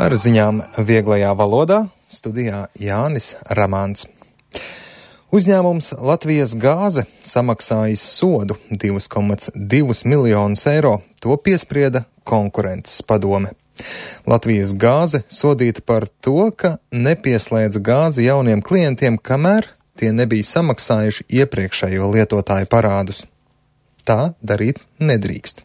Ar ziņām vieglajā valodā studijā Jānis Ramāns. Uzņēmums Latvijas gāze samaksājis sodu 2,2 miljonus eiro. To piesprieda konkurences padome. Latvijas gāze sodīta par to, ka nepieslēdz gāzi jauniem klientiem, kamēr tie nebija samaksājuši iepriekšējo lietotāju parādus. Tā darīt nedrīkst.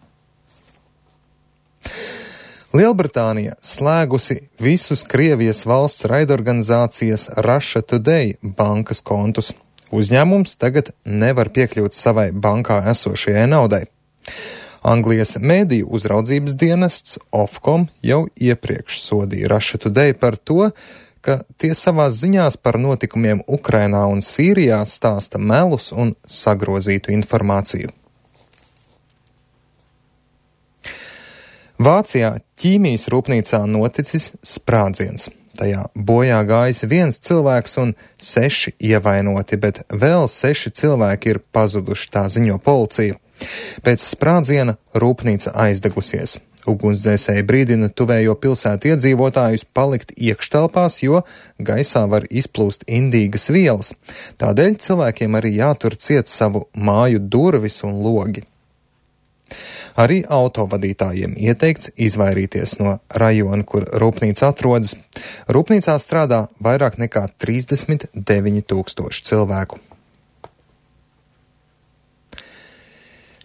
Lielbritānija slēgusi visus Krievijas valsts raidorganizācijas Russia Today bankas kontus. Uzņēmums tagad nevar piekļūt savai bankā esošajai naudai. Anglijas mēdīju uzraudzības dienests Ofcom jau iepriekš sodīja Russia Today par to, ka tie savās ziņās par notikumiem Ukrainā un Sīrijā stāsta melus un sagrozītu informāciju. Vācijā ķīmijas rūpnīcā noticis sprādziens. Tajā bojā gājis 1 cilvēks un 6 ievainoti, bet vēl 6 cilvēki ir pazuduši, tā ziņo policija. Pēc sprādziena rūpnīca aizdegusies. Ugunsdzēsēji brīdina tuvējo pilsētu iedzīvotājus palikt iekštelpās, jo gaisā var izplūst indīgas vielas. Tādēļ cilvēkiem arī jātur ciet savu māju durvis un logi. Arī autovadītājiem ieteikts izvairīties no rajona, kur rūpnīca atrodas. Rūpnīcā strādā vairāk nekā 39 000 cilvēku.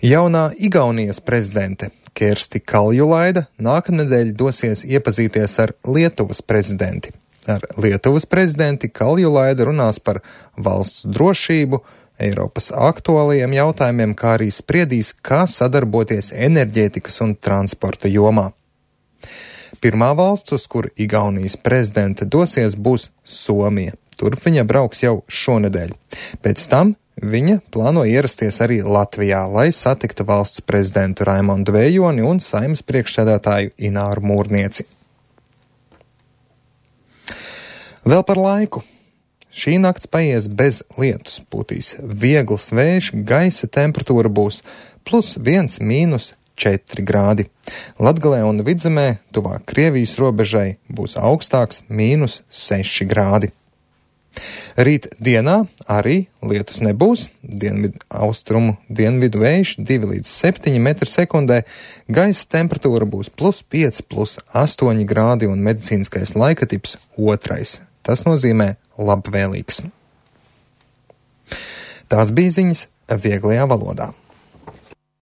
Jaunā Igaunijas prezidente Kersti Kaljulaida nākamnedēļ dosies iepazīties ar Lietuvas prezidenti. Ar Lietuvas prezidenti Kaljulaida runās par valsts drošību, Eiropas aktuālajiem jautājumiem, kā arī spriedīs, kā sadarboties enerģētikas un transporta jomā. Pirmā valsts, uz kur Igaunijas prezidente dosies, būs Somija. Turp viņa brauks jau šonedēļ. Pēc tam viņa plāno ierasties arī Latvijā, lai satiktu valsts prezidentu Raimondu Vējoni un Saeimas priekšsēdētāju Ināru Mūrnieci. Vēl par laiku. Šī nakts paies bez lietus, pūtīs viegls vējš, gaisa temperatūra būs +1, -4 grādi. Latgalē un Vidzemē, tuvāk Krievijas robežai, būs augstāks -6 grādi. Rīt dienā arī lietus nebūs, austrumu dienvidu vējš 2 līdz 7 m/sekundē, gaisa temperatūra būs +5, +8 grādi un medicīniskais laikatips 2. Tas nozīmē labvēlīgs. Tās bija ziņas vieglajā valodā.